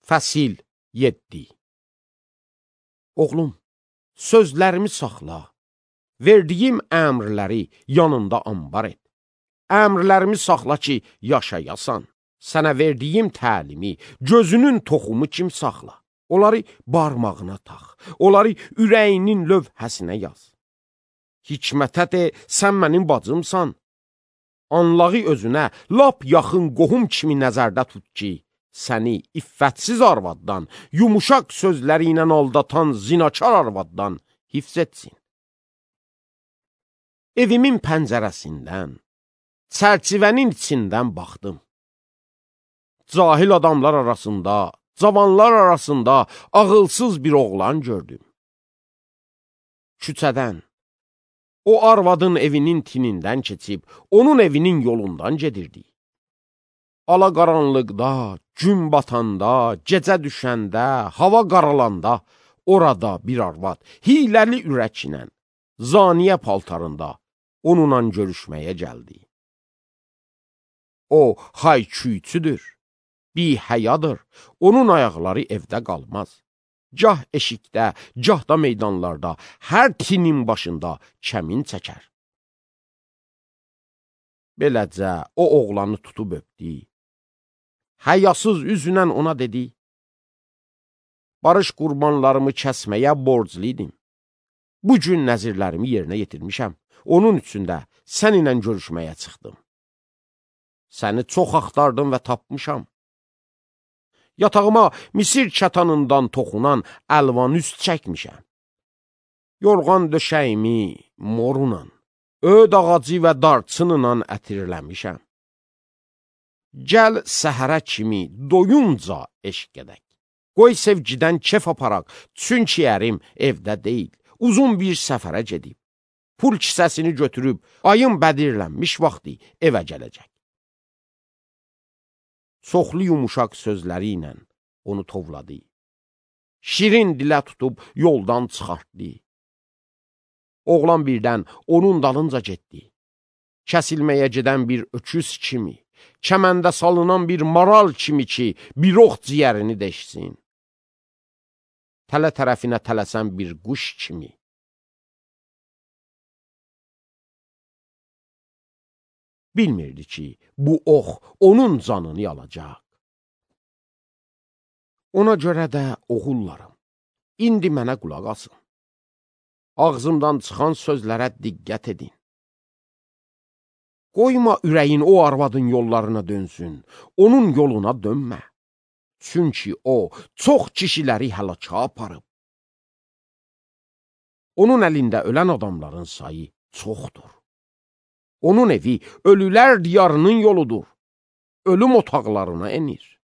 Fəsil 7. Oğlum, sözlərimi saxla, verdiyim əmrləri yanında ambar et. Əmrlərimi saxla ki, yaşayasan. Sənə verdiyim təlimi, gözünün toxumu kim saxla. Onları barmağına tax, onları ürəyinin lövhəsinə yaz. Hikmətə de, sən mənim bacımsan. Anlağı özünə lap yaxın qohum kimi nəzərdə tut ki, səni iffətsiz arvaddan, yumuşaq sözləri ilə aldatan zinakar arvaddan hifz etsin. Evimin pəncərəsindən, çərçivənin içindən baxdım. Cahil adamlar arasında, cavanlar arasında ağılsız bir oğlan gördüm. Küçədən, o arvadın evinin tinindən keçib, onun evinin yolundan gedirdi. Alaqaranlıqda, gün batanda, gecə düşəndə, hava qaralanda, orada bir arvad, hiləli ürəklə, zaniyə paltarında onunla görüşməyə gəldi. O, hay-küyçüdür, bihəyadır, onun ayaqları evdə qalmaz. Gah eşikdə, gah da meydanlarda, hər tinin başında kəmin çəkər. Beləcə, o oğlanı tutub öpdü. Həyasız üzünən ona dedi, barış qurbanlarımı kəsməyə borcluydim. Bugün nəzirlərimi yerinə yetirmişəm, onun üçün də səninlə görüşməyə çıxdım. Səni çox axtardım və tapmışam. Yatağıma Misir kətanından toxunan əlvan üst çəkmişəm. Yorğan döşəyimi morunan, öd ağacı və darçınla ətirləmişəm. Gəl səhərə kimi doyunca eşq edək. Qoy sevgidən kef aparaq, çünki ərim evdə deyil, uzun bir səfərə gedib. Pul kisəsini götürüb, ayın bədirlənmiş vaxtı evə gələcək. Çoxlu yumuşaq sözləri ilə onu tovladı. Şirin dilə tutub yoldan çıxartdı. Oğlan birdən onun dalınca getdi. Kəsilməyə gedən bir öküz kimi, kəməndə salınan bir maral kimi ki, bir ox ciyərini deşsin. Tələ tərəfinə tələsən bir quş kimi. Bilmirdi ki, bu ox onun canını alacaq. Ona görə də oğullarım, indi mənə qulaq asın. Ağzımdan çıxan sözlərə diqqət edin. Qoyma ürəyin o arvadın yollarına dönsün, onun yoluna dönmə. Çünki o, çox kişiləri həlaka aparıb. Onun əlində ölən adamların sayı çoxdur. Onun evi ölülər diyarının yoludur. Ölüm otaqlarına enir.